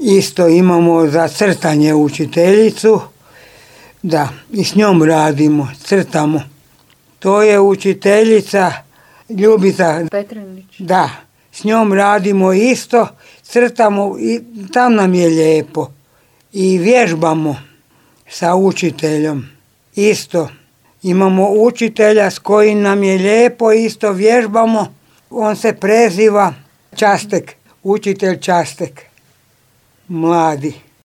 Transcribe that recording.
Isto imamo za crtanje učiteljicu, da, i s njom radimo, crtamo. To je učiteljica Ljubica Petrinić. Da, s njom radimo isto, crtamo i tam nam je lijepo. I vježbamo sa učiteljom isto. Imamo učitelja s kojim nam je lijepo, isto vježbamo. On se preziva Častek, učitelj Častek, mladi.